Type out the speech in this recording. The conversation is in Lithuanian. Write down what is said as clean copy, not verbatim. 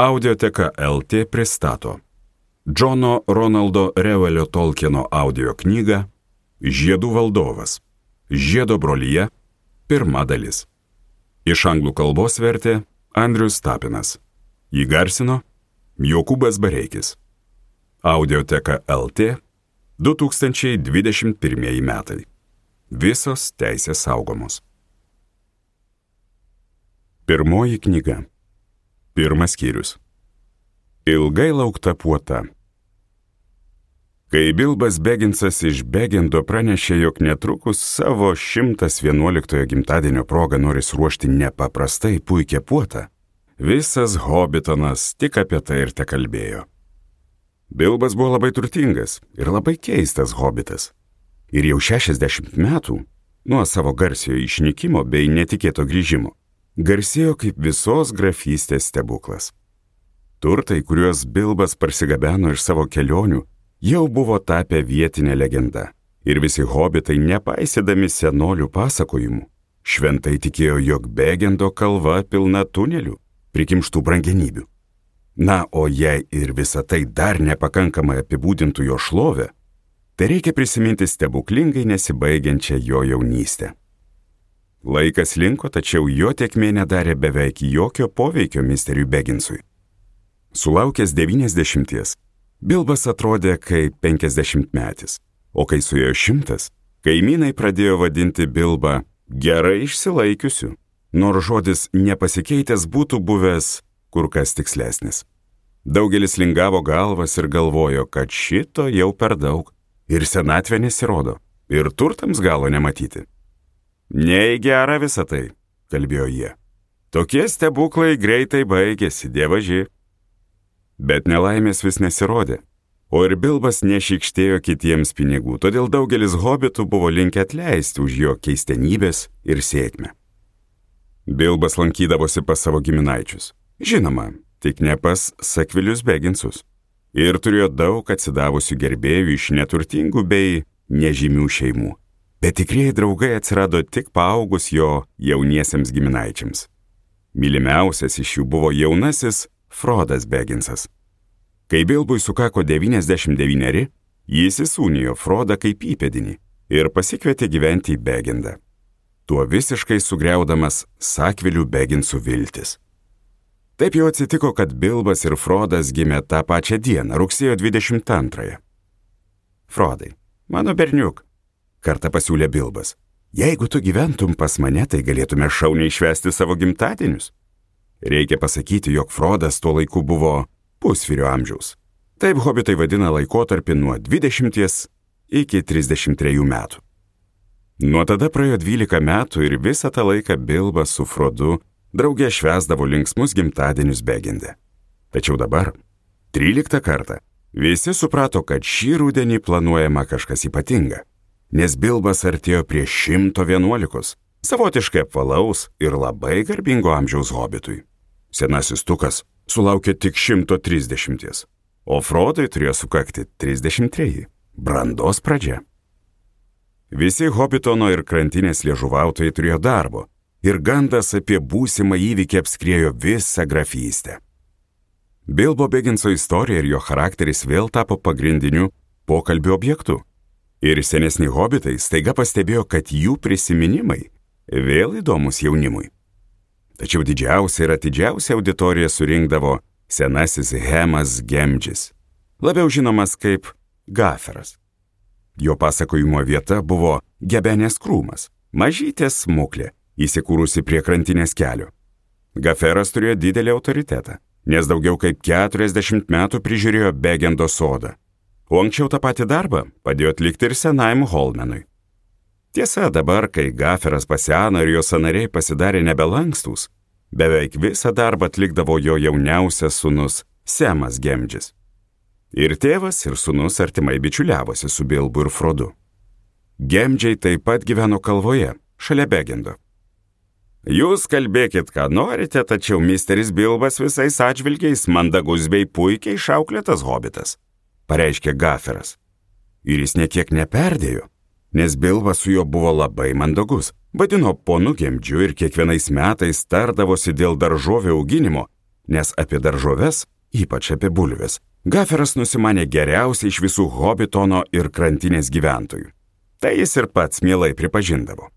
Audioteka LT pristato Džono Ronaldo Reuelio Tolkieno audio knygą Žiedų valdovas. Žiedo brolija. Pirma dalis. Iš anglų kalbos vertė Andrius Tapinas. Įgarsino Jokūbas Bareikis. Audioteka LT 2021 metai. Visos teisės saugomos. Pirmoji knyga. Pirmas skyrius. Ilgai laukta puota. Kai Bilbas Beginsas iš Begendo pranešė, jog netrukus savo 111 gimtadienio progą noris ruošti nepaprastai puikią puotą, visas Hobitonas tik apie tai ir tekalbėjo. Bilbas buvo labai turtingas ir labai keistas hobitas. Ir jau 60 metų nuo savo garsiojo išnykimo bei netikėto grįžimo garsėjo kaip visos grafystės stebuklas. Turtai, kuriuos Bilbas parsigabeno iš savo kelionių, jau buvo tapę vietinė legenda. Ir visi hobitai, nepaisydami senolių pasakojimų, šventai tikėjo, jog Begendo kalva pilna tunelių, prikimštų brangenybių. Na, o jei ir visa tai dar nepakankamai apibūdintų jo šlovę, tai reikia prisiminti stebuklingai nesibaigiančią jo jaunystę. Laikas linko, tačiau jo tėkmė nedarė beveik jokio poveikio misteriui Beginsui. Sulaukęs 90, Bilbas atrodė kaip 50-metis, o kai suėjo 100, kaimynai pradėjo vadinti Bilbą gerai išsilaikiusiu, nors žodis nepasikeitęs būtų buvęs kur kas tikslesnis. Daugelis lingavo galvas ir galvojo, kad šito jau per daug, ir senatvė nesirodo, ir turtams galo nematyti. Ne į gerą visą tai, kalbėjo jie. Tokie stebuklai greitai baigėsi, dievaži. Bet nelaimės vis nesirodė, o ir Bilbas nešykštėjo kitiems pinigų, todėl daugelis hobitų buvo linkę atleisti už jo keistenybės ir sėkmę. Bilbas lankydavosi pas savo giminaičius, žinoma, tik ne pas Sakvilius Beginsus, ir turėjo daug atsidavusių gerbėjų iš neturtingų bei nežymių šeimų. Bet tikrieji draugai atsirado tik paaugus jo jauniesiems giminaičiams. Mylimiausias iš jų buvo jaunasis Frodas Beginsas. Kai Bilbui sukako 99, jis įsūnijo Frodą kaip įpėdinį ir pasikvietė gyventi į Begendą, tuo visiškai sugriaudamas Sakvilių Beginsų viltis. Taip jau atsitiko, kad Bilbas ir Frodas gimė tą pačią dieną, rugsėjo 22. Frodai, mano berniuk, kartą pasiūlė Bilbas, jeigu tu gyventum pas mane, tai galėtume šauniai švęsti savo gimtadienius. Reikia pasakyti, jog Frodas tuo laiku buvo pusvyrio amžiaus. Taip hobitai vadina laikotarpį nuo 20 iki 33 metų. Nuo tada praėjo 12 metų ir visą tą laiką Bilbas su Frodu drauge švęsdavo linksmus gimtadienius Begende. Tačiau dabar, 13 kartą, visi suprato, kad šį rudenį planuojama kažkas ypatinga. Nes Bilbas artėjo prie 111, savotiškai apvalaus ir labai garbingo amžiaus hobitui. Senasis Tukas sulaukė tik 130, o Frodui turėjo sukakti 33, brandos pradžia. Visi Hobitono ir krantinės liežuvautojai turėjo darbo, ir gandas apie būsimą įvykį apskriejo visą grafystę. Bilbo Beginso istorija ir jo charakteris vėl tapo pagrindiniu pokalbio objektu. Ir senesni hobitai staiga pastebėjo, kad jų prisiminimai vėl įdomus jaunimui. Tačiau didžiausia ir atidžiausia auditorija surinkdavo senasis Hemas Gemdžis, labiau žinomas kaip Gaferas. Jo pasakojimo vieta buvo Gebenės krūmas, mažytė smuklė, įsikūrusi prie krantinės kelio. Gaferas turėjo didelį autoritetą, nes daugiau kaip 40 metų prižiūrėjo Begendo sodą. O anksčiau tą patį darbą padėjo atlikti ir senajam Holmenui. Tiesa, dabar, kai Gaferas paseno ir jo sąnariai pasidarė nebelankstus, beveik visą darbą atlikdavo jo jauniausias sūnus Semas Gemdžis. Ir tėvas, ir sūnus artimai bičiuliavosi su Bilbu ir Frodu. Gemdžiai taip pat gyveno kalvoje, šalia Begendo. Jūs kalbėkit, ką norite, tačiau misteris Bilbas visais atžvilgiais mandagus bei puikiai išauklėtas hobitas, pareiškė Gaferas. Ir jis niekiek neperdėjo, nes Bilbas su juo buvo labai mandagus, vadino ponu Gemdžiu ir kiekvienais metais tardavosi dėl daržovių auginimo nes apie daržoves, ypač apie bulves, Gaferas nusimanė geriausiai iš visų Hobitono ir krantinės gyventojų. Tai jis ir pats mielai pripažindavo.